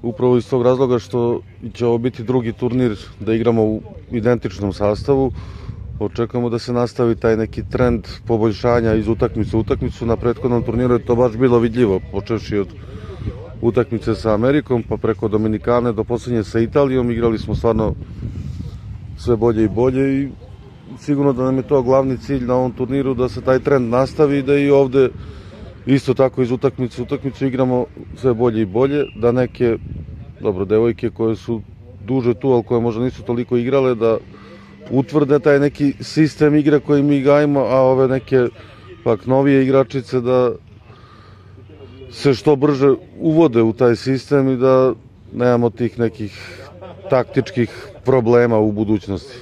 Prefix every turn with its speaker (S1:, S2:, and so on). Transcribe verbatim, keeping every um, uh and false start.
S1: upravo iz tog razloga što će ovo biti drugi turnir da igramo u identičnom sastavu. Očekujemo da se nastavi taj neki trend poboljšanja iz utakmice u utakmicu. Na prethodnom turniru je to baš bilo vidljivo, počevši od utakmice sa Amerikom, pa preko Dominikane do poslednje sa Italijom. Igrali smo stvarno sve bolje i bolje i sigurno da nam je to glavni cilj na ovom turniru, da se taj trend nastavi i da i ovde isto tako iz utakmice u utakmicu igramo sve bolje i bolje, da neke, dobro, devojke koje su duže tu, ali koje možda nisu toliko igrale, da utvrde taj neki sistem igre koji mi gajimo, a ove neke pak novije igračice da se što brže uvode u taj sistem i da nemamo tih nekih taktičkih problema u budućnosti.